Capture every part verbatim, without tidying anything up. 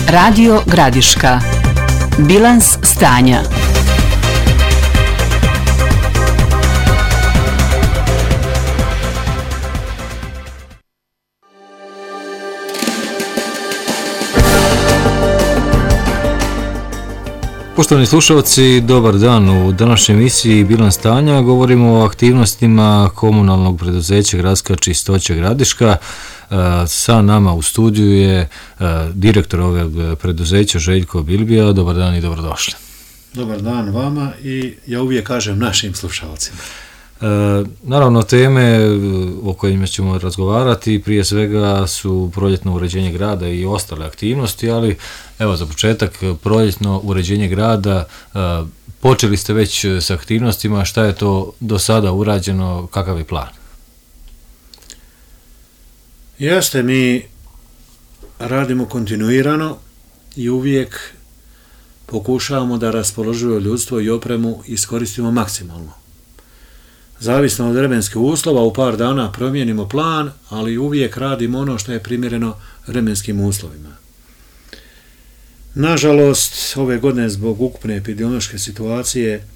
Radio Gradiška. Bilans stanja. Poštovani slušalci, dobar dan. U današnjoj emisiji Bilans stanja govorimo o aktivnostima komunalnog preduzeća Gradska čistoća Gradiška. Sa nama u studiju je direktor ovog preduzeća Željko Bilbija. Dobar dan i dobrodošli. Dobar dan vama i ja uvijek kažem našim slušalcima. E, naravno, teme o kojima ćemo razgovarati prije svega su proljetno uređenje grada i ostale aktivnosti, ali evo za početak proljetno uređenje grada, e, počeli ste već s aktivnostima, šta je to do sada urađeno, kakav je plan? Jeste, mi radimo kontinuirano i uvijek pokušavamo da raspoloživo ljudstvo i opremu iskoristimo maksimalno. Zavisno od vremenskih uslova, u par dana promijenimo plan, ali uvijek radimo ono što je primjereno vremenskim uslovima. Nažalost, ove godine zbog ukupne epidemiološke situacije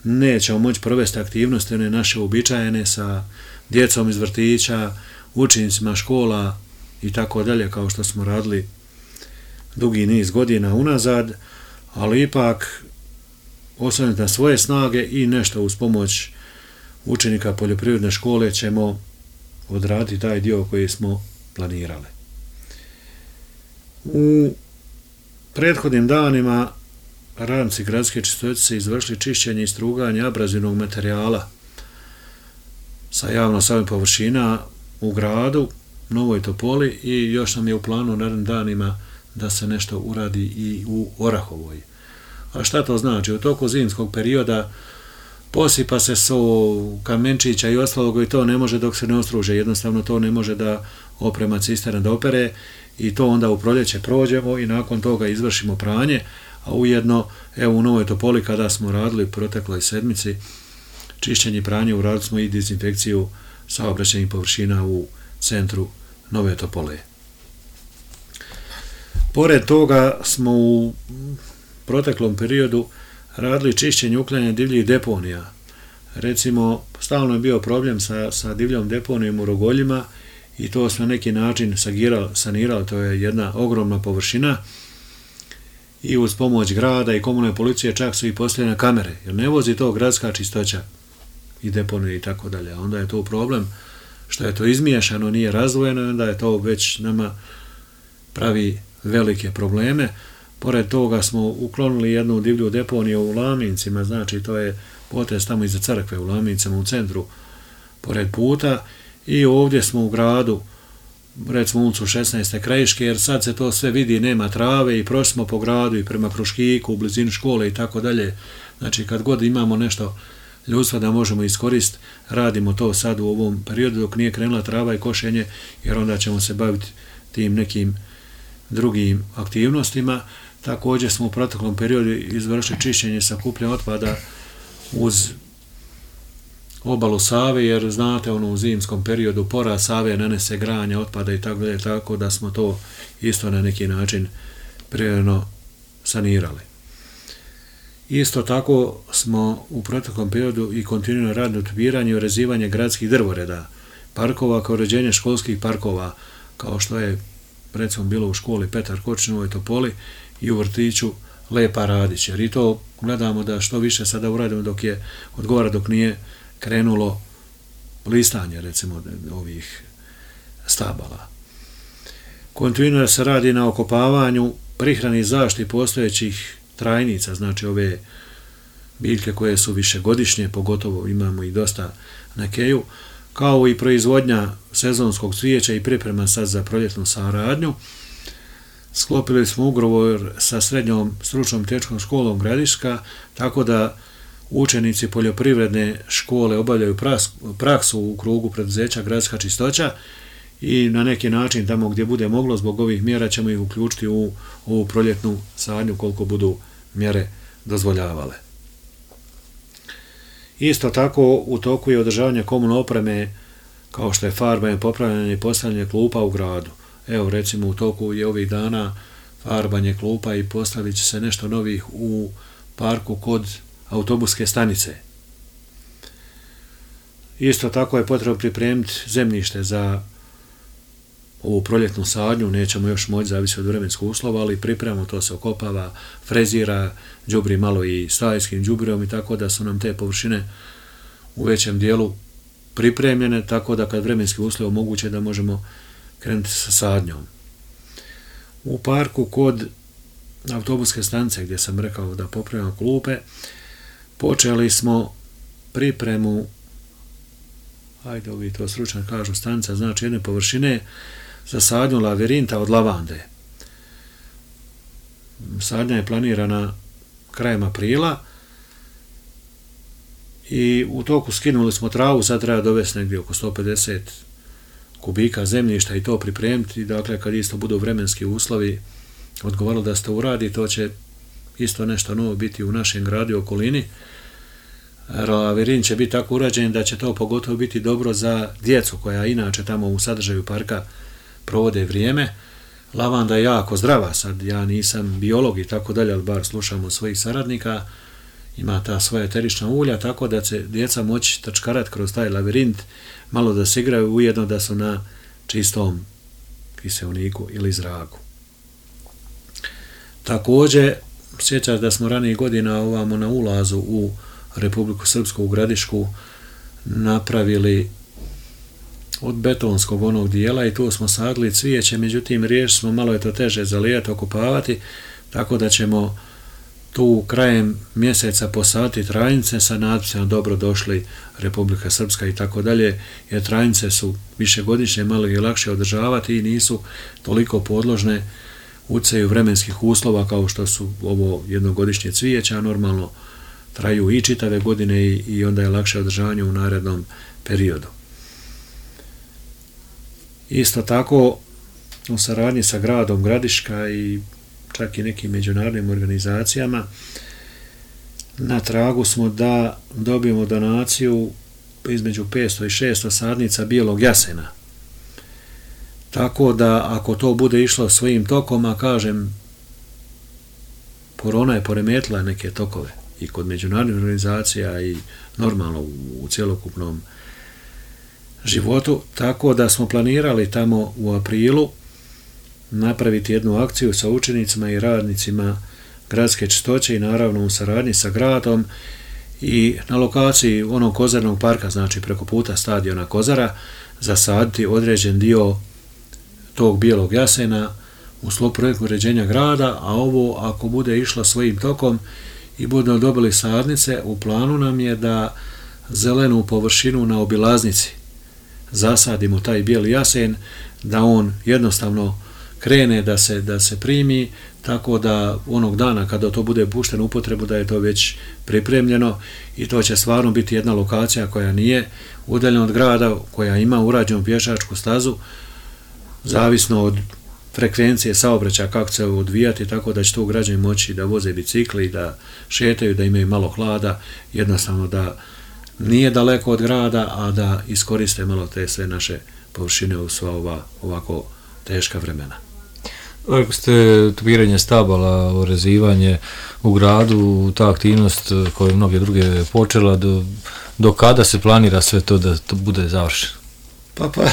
nećemo moći provesti aktivnosti one naše uobičajene sa djecom iz vrtića, učenicima škola i tako dalje, kao što smo radili dugi niz godina unazad, ali ipak osvrnuti na svoje snage i nešto uz pomoć učenika poljoprivredne škole ćemo odraditi taj dio koji smo planirali. U prethodnim danima radnici Gradske čistoće su izvršili čišćenje i struganje abrazivnog materijala sa javno samih površina u gradu, Novoj Topoli, i još nam je u planu u narednim danima da se nešto uradi i u Orahovoj. A šta to znači? U toku zimskog perioda posipa se so kamenčića i ostalog i to ne može dok se ne ostruže, jednostavno to ne može da oprema cisterna da opere i to onda u proljeće prođemo i nakon toga izvršimo pranje, a ujedno evo u Novoj Topoli kada smo radili protekloj sedmici čišćenje i pranje, uradili smo i dezinfekciju saobraćajnih površina u centru Nove Topole. Pored toga smo u proteklom periodu radili čišćenje i uklanjanje divljih deponija. Recimo, stalno je bio problem sa, sa divljom deponijom u Rogoljima i to smo na neki način sanirali, to je jedna ogromna površina i uz pomoć grada i komunalne policije čak su i postavljene kamere, jer ne vozi to Gradska čistoća i deponije i tako dalje. Onda je to problem što je to izmiješano, nije razdvojeno i onda je to već nama pravi velike probleme. Pored toga smo uklonili jednu divlju deponiju u Lamincima, znači to je potez tamo iza crkve u Lamincima u centru pored puta, i ovdje smo u gradu, recimo ulicu šesnaeste Krajiške, jer sad se to sve vidi, nema trave i prošli smo po gradu i prema Kruškiku, u blizini škole i tako dalje. Znači kad god imamo nešto ljudstva da možemo iskoristiti, radimo to sad u ovom periodu dok nije krenula trava i košenje, jer onda ćemo se baviti tim nekim drugim aktivnostima. Također smo u proteklom periodu izvršili čišćenje sakupljanja otpada uz obalu Save, jer znate ono u zimskom periodu porast Save nanese granje otpada i tako dalje, tako da smo to isto na neki način prirodno sanirali. Isto tako smo u proteklom periodu i kontinuirano radili utopiranje i urezivanje gradskih drvoreda, parkova kao uređenje školskih parkova, kao što je recimo bilo u školi Petar Kočić u Novoj Topoli i u vrtiću Lepa Radić, jer i to gledamo da što više sada uradimo dok je odgovara, dok nije krenulo listanje recimo ovih stabala. Kontinuirano se radi na okopavanju, prihrani i zaštiti postojećih trajnica, znači ove biljke koje su višegodišnje, pogotovo imamo i dosta na keju, kao i proizvodnja sezonskog cvijeća i priprema sad za proljetnu saradnju. Sklopili smo ugovor sa srednjom stručnom tehničkom školom Gradiška, tako da učenici poljoprivredne škole obavljaju praksu u krugu preduzeća Gradska čistoća i na neki način tamo gdje bude moglo zbog ovih mjera ćemo ih uključiti u ovu proljetnu sadnju koliko budu mjere dozvoljavale. Isto tako u toku je održavanje komunalne opreme kao što je farbanje, popravljanje i postavljanje klupa u gradu. Evo, recimo, u toku je ovih dana farbanje klupa i postavit će se nešto novih u parku kod autobuske stanice. Isto tako je potrebno pripremiti zemljište za ovu proljetnu sadnju, nećemo još moći, zavisi od vremenskog uslova, ali pripremamo, to se okopava, frezira, đubri malo i stajskim đubrijom i tako da su nam te površine u većem dijelu pripremljene, tako da kad vremenski uslovi omoguće da možemo krenuti sa sadnjom. U parku kod autobuske stanice, gdje sam rekao da popravljamo klupe, počeli smo pripremu, ajde ovi to stručan kažu stanica, znači jedne površine za sadnju lavirinta od lavande. Sadnja je planirana krajem aprila i u toku skinuli smo travu, sad treba dovesti negdje oko sto pedeset kubika zemljišta i to pripremiti, dakle kad isto budu vremenski uslovi odgovaralo da se to uradi, to će isto nešto novo biti u našem gradu i okolini. Lavirint će biti tako urađen da će to pogotovo biti dobro za djecu koja inače tamo u sadržaju parka provode vrijeme. Lavanda je jako zdrava, sad ja nisam biolog i tako dalje, ali bar slušam od svojih saradnika, ima ta svoja eterična ulja, tako da će djeca moći trčkarati kroz taj lavirint, malo da se igraju, ujedno da su na čistom kiseoniku ili zraku. Također, sjećam da smo ranije godina ovamo na ulazu u Republiku Srpsku u Gradišku napravili od betonskog onog dijela i tu smo sadili cvijeće, međutim riješili smo, malo je to teže zalijati, okupavati, tako da ćemo tu krajem mjeseca posaditi trajnice sa natpisima dobro došli Republika Srpska i tako dalje, jer trajnice su višegodišnje, malo je lakše održavati i nisu toliko podložne utjecaju vremenskih uslova kao što su ovo jednogodišnje cvijeća, normalno traju i čitave godine i, i onda je lakše održavanje u narednom periodu. Isto tako, u saradnji sa gradom Gradiška i čak i nekim međunarodnim organizacijama, na tragu smo da dobijemo donaciju između petsto i šesto sadnica bijelog jasena. Tako da, ako to bude išlo svojim tokom, a kažem, korona je poremetila neke tokove i kod međunarodnih organizacija i normalno u, u cjelokupnom životu, tako da smo planirali tamo u aprilu napraviti jednu akciju sa učenicima i radnicima gradske čistoće i naravno u saradnji sa gradom i na lokaciji onog kozarnog parka, znači preko puta stadiona Kozara, zasaditi određen dio tog bijelog jasena u sklopu projekta uređenja grada, a ovo ako bude išlo svojim tokom i budemo dobili sadnice, u planu nam je da zelenu površinu na obilaznici zasadimo taj bijeli jasen, da on jednostavno krene da se, da se primi, tako da onog dana kada to bude pušteno u upotrebu da je to već pripremljeno i to će stvarno biti jedna lokacija koja nije udaljena od grada, koja ima urađenu pješačku stazu, zavisno od frekvencije saobraćaja kako će se odvijati, tako da će to građani moći da voze bicikli, da šetaju, da imaju malo hlada, jednostavno da nije daleko od grada, a da iskoriste malo te sve naše površine u sva ova ovako teška vremena. Ako ste tupiranje stabala, orezivanje u gradu, ta aktivnost koju je mnoge druge počela, do, do kada se planira sve to da to bude završeno? Pa pa,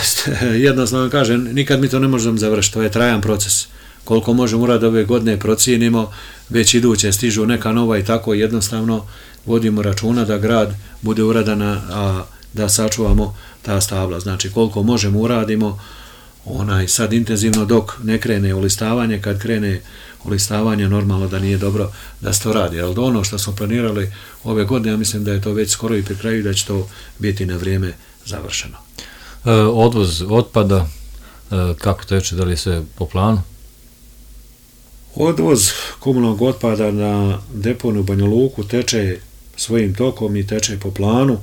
jednostavno kažem, nikad mi to ne možemo završiti, to je trajan proces. Koliko možemo uraditi ove godine procijenimo, već iduće stižu neka nova i tako jednostavno vodimo računa da grad bude uradana, a da sačuvamo ta stabla. Znači koliko možemo uradimo, onaj sad intenzivno dok ne krene ulistavanje, kad krene ulistavanje normalno da nije dobro da se to radi, ali ono što smo planirali ove godine, ja mislim da je to već skoro i pri kraju, da će to biti na vrijeme završeno. E, odvoz otpada, e, kako teče, da li je sve po planu? Odvoz komunalnog otpada na deponiju u Banja Luku teče svojim tokom i teče po planu.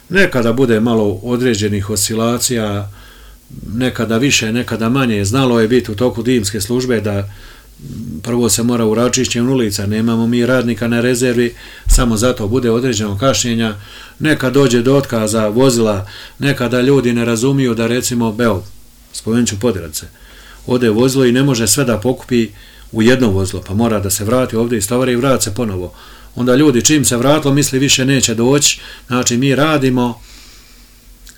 Nekada bude malo određenih oscilacija, nekada više, nekada manje. Znalo je biti u toku dimske službe da prvo se mora uračišćenje ulica, nemamo mi radnika na rezervi, samo zato bude određeno kašnjenja, Nekad dođe do otkaza vozila, nekada ljudi ne razumiju da recimo, evo, spomenut ću Podravce, ode vozilo i ne može sve da pokupi u jedno vozilo, pa mora da se vrati ovdje iz tovara i vrati se ponovo. Onda ljudi čim se vratilo misli više neće doći, znači mi radimo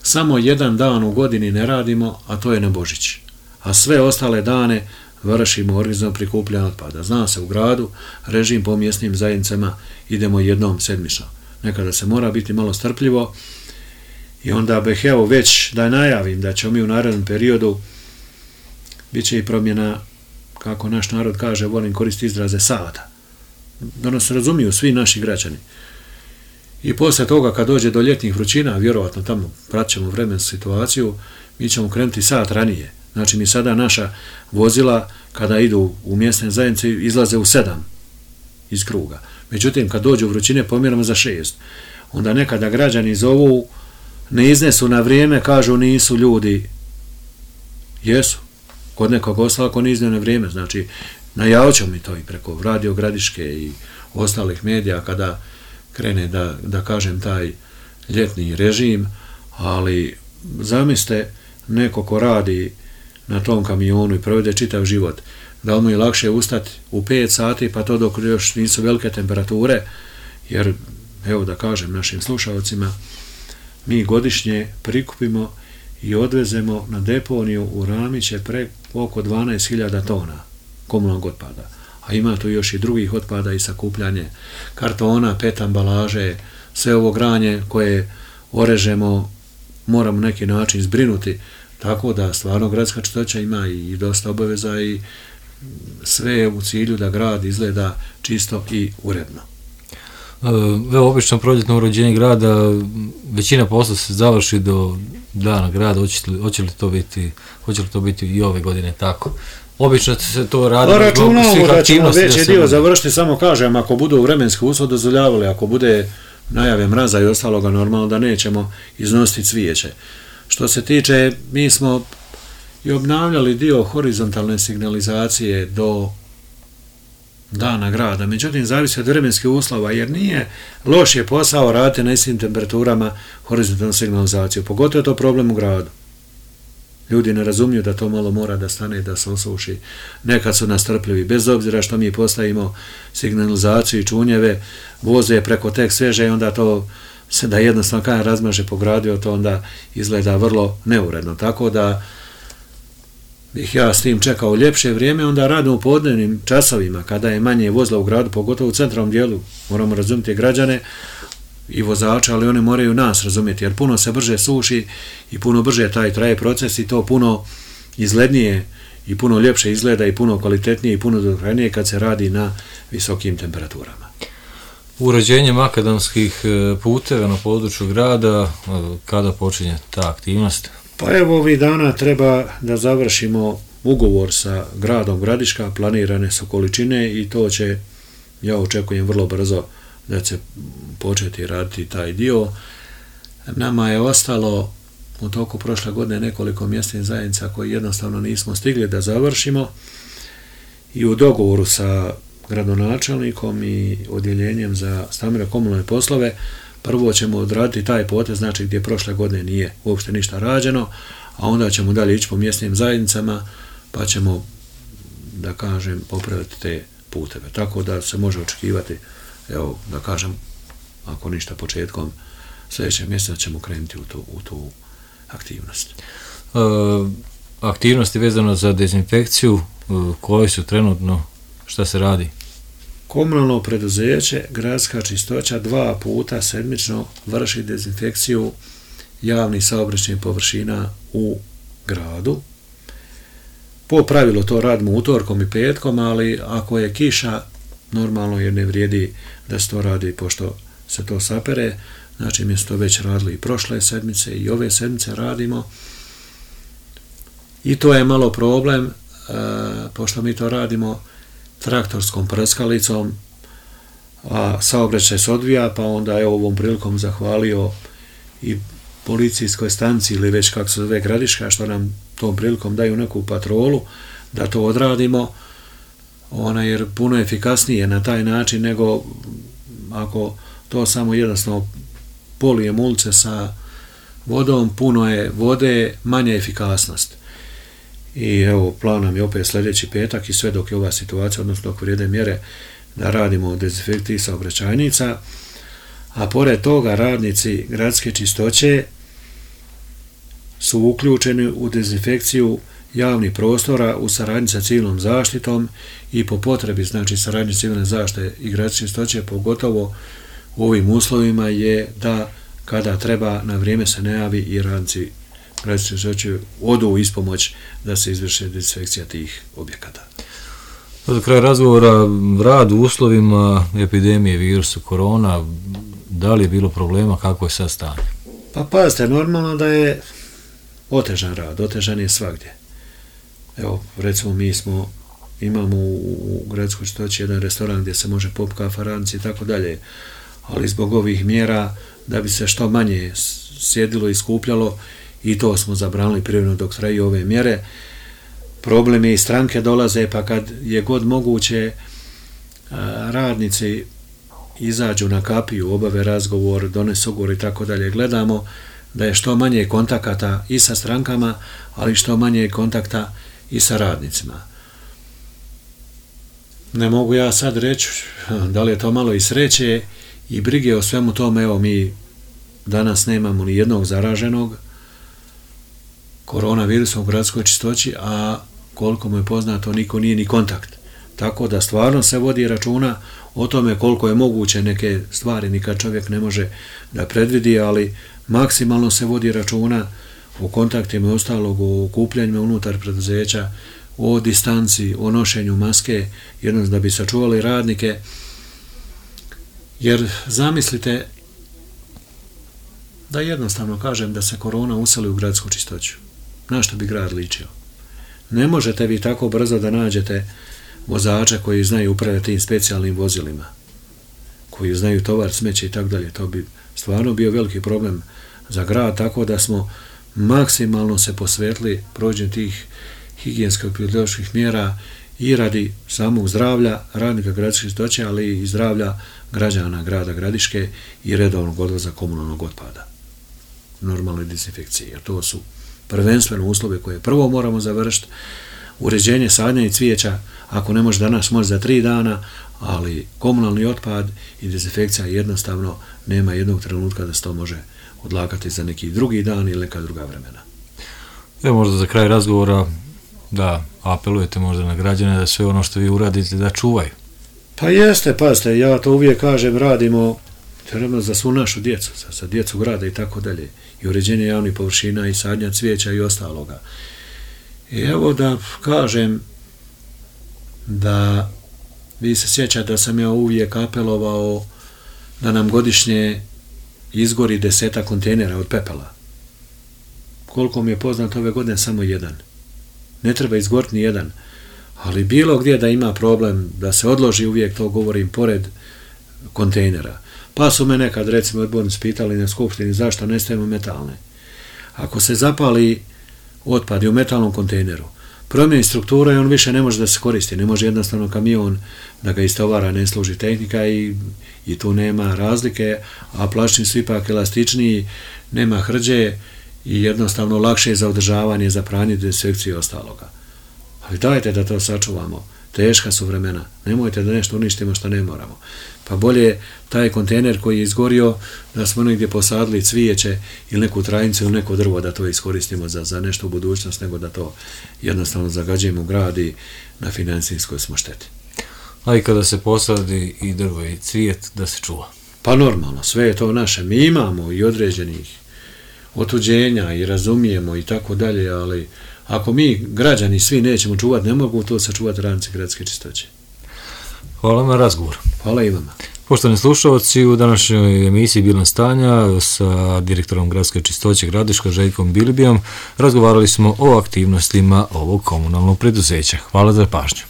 samo jedan dan u godini ne radimo, a to je na Božić. A sve ostale dane vršimo organizam prikupljanja otpada. Zna se u gradu, režim po mjesnim zajednicama idemo jednom sedmično. Nekada se mora biti malo strpljivo i onda bih evo već da najavim da ćemo mi u narednom periodu bit će i promjena, kako naš narod kaže, volim koristiti izraze sata. Da nas razumiju svi naši građani. I posle toga kad dođe do ljetnih vrućina, vjerovatno tamo praćemo vremensku situaciju, mi ćemo krenuti sat ranije. Znači mi sada naša vozila kada idu u mjesne zajednice izlaze u sedam iz kruga. Međutim kad dođu vrućine pomjeramo za šest. Onda nekada građani zovu, ne iznesu na vrijeme, kažu nisu ljudi. Jesu. Kod nekog ostala ako ne izneo na vrijeme. Znači najavit ćemo mi to i preko Radio Gradiške i ostalih medija kada krene da, da kažem taj ljetni režim, ali zamislite neko ko radi na tom kamionu i provede čitav život, da li mu je lakše ustati u pet sati pa to dok još nisu velike temperature, jer evo da kažem našim slušalcima, mi godišnje prikupimo i odvezemo na deponiju u Ramiće pre oko dvanaest hiljada tona komunalnog otpada. A ima tu još i drugih otpada i sakupljanje kartona, pet ambalaže, sve ovo granje koje orežemo moramo neki način zbrinuti, tako da stvarno gradska čistoća ima i dosta obaveza i sve u cilju da grad izgleda čisto i uredno. Evo, obično proljetno uređenje grada, većina posla se završi do dana grada, hoće li, hoće li to biti, hoće li to biti i ove godine tako? Obično se to radi zbog svih aktivnosti. Veći dio završiti, samo kažem, ako budu vremenski uslovi dozvoljavali, ako bude najave mraza i ostaloga, normalno da nećemo iznositi cvijeće. Što se tiče, mi smo i obnavljali dio horizontalne signalizacije do dana grada, međutim zavisi od vremenskih uslova, jer nije loš je posao raditi na istim temperaturama horizontalnu signalizaciju, pogotovo je to problem u gradu. Ljudi ne razumiju da to malo mora da stane, da se osuši. Nekad su nastrpljivi, bez obzira što mi postavimo signalizaciju i čunjeve, voze preko tek sveže i onda to se da jednostavno kada razmaže po gradu, to onda izgleda vrlo neuredno. Tako da bih ja s tim čekao ljepše vrijeme, onda radimo u podnevnim časovima, kada je manje vozila u gradu, pogotovo u centralnom dijelu. Moramo razumjeti građane i vozača, ali oni moraju nas razumjeti, jer puno se brže suši i puno brže taj traje proces i to puno izglednije i puno ljepše izgleda i puno kvalitetnije i puno dugotrajnije kad se radi na visokim temperaturama. Uređenje makadamskih puteva na području grada, kada počinje ta aktivnost? Pa evo ovih dana treba da završimo ugovor sa gradom Gradiška, planirane su količine i to će, ja očekujem vrlo brzo da će početi raditi taj dio. Nama je ostalo u toku prošle godine nekoliko mjesnih zajednica koji jednostavno nismo stigli da završimo i u dogovoru sa gradonačelnikom i odjeljenjem za stambene komunalne poslove prvo ćemo odraditi taj potez, znači gdje prošle godine nije uopšte ništa rađeno, a onda ćemo dalje ići po mjesnim zajednicama pa ćemo, da kažem, popraviti te puteve. Tako da se može očekivati, evo, da kažem, ako ništa početkom sljedećeg mjeseca ćemo krenuti u tu, u tu aktivnost. E, aktivnosti vezano za dezinfekciju, e, koje su trenutno, šta se radi? Komunalno preduzeće, gradska čistoća dva puta sedmično vrši dezinfekciju javnih saobraćajnih površina u gradu. Po pravilu to radimo utorkom i petkom, ali ako je kiša, normalno jer ne vrijedi da se to radi pošto se to sapere, znači mi smo to već radili i prošle sedmice i ove sedmice radimo i to je malo problem, e, pošto mi to radimo traktorskom prskalicom, a saobraćaj se odvija, pa onda je ovom prilikom zahvalio i policijskoj stanciji ili već kako se zove Gradiška, što nam tom prilikom daju neku patrolu da to odradimo, ona jer puno efikasnije na taj način nego ako to samo jednostavno polijem ulice sa vodom, puno je vode, manja efikasnost. I evo, plan nam je opet sljedeći petak i sve dok je ova situacija, odnosno dok vrijede mjere, da radimo dezinfekciju saobraćajnica, a pored toga radnici gradske čistoće su uključeni u dezinfekciju javnih prostora u saradnji sa civilnom zaštitom i po potrebi, znači saradnji civilne zaštite i gradske čistoće, pogotovo u ovim uslovima je da kada treba na vrijeme se ne javi i radnici gradske čistoće odu u ispomoć da se izvrše dezinfekcija tih objekata. Za kraj razgovora, rad u uslovima epidemije virusa korona, da li je bilo problema, kako je sad stanje? Pa pazite, normalno da je otežan rad, otežan je svagdje. Evo, recimo mi smo, imamo u, u gradskoj čistoći jedan restoran gdje se može pop kafa, radnici i tako dalje, ali zbog ovih mjera da bi se što manje sjedilo i skupljalo, i to smo zabranili privremeno dok traju ove mjere. Problem je i stranke dolaze, pa kad je god moguće radnici izađu na kapiju, obave razgovor, donesu ugovor i tako dalje. Gledamo da je što manje kontakata i sa strankama, ali što manje kontakta i sa radnicima. Ne mogu ja sad reći da li je to malo i sreće i brige o svemu tome. Evo, mi danas nemamo ni jednog zaraženog koronavirusom u gradskoj čistoći, a koliko mu je poznato, niko nije ni kontakt. Tako da stvarno se vodi računa o tome koliko je moguće neke stvari nikad čovjek ne može da predvidi, ali maksimalno se vodi računa o kontaktima i ostalog, o okupljanjima unutar preduzeća, o distanci, o nošenju maske, jednostavno da bi sačuvali radnike. Jer zamislite da jednostavno kažem da se korona useli u gradsku čistoću. Na što bi grad ličio? Ne možete vi tako brzo da nađete vozača koji znaju upravljati tim specijalnim vozilima, koji znaju tovar, smeće i tako dalje. To bi stvarno bio veliki problem za grad, tako da smo maksimalno se posvetili provođenju tih higijensko-epidemioloških mjera i radi samog zdravlja radnika gradske čistoće, ali i zdravlja građana grada Gradiške i redovnog odvoza komunalnog otpada. Normalnoj dezinfekciji, jer to su prvenstveno uslove koje prvo moramo završiti. Uređenje sadnja i cvijeća, ako ne može danas, može za tri dana, ali komunalni otpad i dezinfekcija jednostavno nema jednog trenutka da se to može odlagati za neki drugi dan ili neka druga vremena. Evo, možda za kraj razgovora da apelujete možda na građane da sve ono što vi uradite da čuvaju. Pa jeste, pazite, ja to uvijek kažem, radimo trebamo za svu našu djecu, za, za djecu grada i tako dalje, i uređenje javnih površina i sadnja cvijeća i ostaloga. I evo da kažem da vi se sjećate da sam ja uvijek apelovao da nam godišnje izgori deseta kontejnera od pepela. Koliko mi je poznato, ove godine samo jedan. Ne treba izgoriti ni jedan, ali bilo gdje da ima problem da se odloži, uvijek to govorim, pored kontejnera. Pa su me nekad, recimo, odbornici pitali na skupštini zašto ne stavimo metalne. Ako se zapali otpad u metalnom kontejneru, promijeni struktura i on više ne može da se koristi, ne može jednostavno kamion da ga istovara, ne služi tehnika i, i tu nema razlike, a plastični su ipak elastičniji, nema hrđe i jednostavno lakše je za održavanje, za pranje, dezinfekciju i ostaloga. Ali dajte da to sačuvamo. Teška su vremena. Nemojte da nešto uništimo što ne moramo. Pa bolje taj kontejner koji je izgorio da smo negdje posadili cvijeće ili neku trajnicu ili neko drvo da to iskoristimo za, za nešto u budućnost, nego da to jednostavno zagađujemo grad i na financijskoj smo šteti. A i kada se posadi i drvo i cvijet, da se čuva? Pa normalno, sve je to naše. Mi imamo i određenih otuđenja i razumijemo i tako dalje, ali ako mi, građani, svi nećemo čuvati, ne mogu to sačuvati radnici gradske čistoće. Hvala na razgovor. Hvala i vama. Poštovani slušalci, u današnjoj emisiji Bilans stanja sa direktorom gradske čistoće Gradiška Željkom Bilibijom razgovarali smo o aktivnostima ovog komunalnog preduzeća. Hvala za pažnju.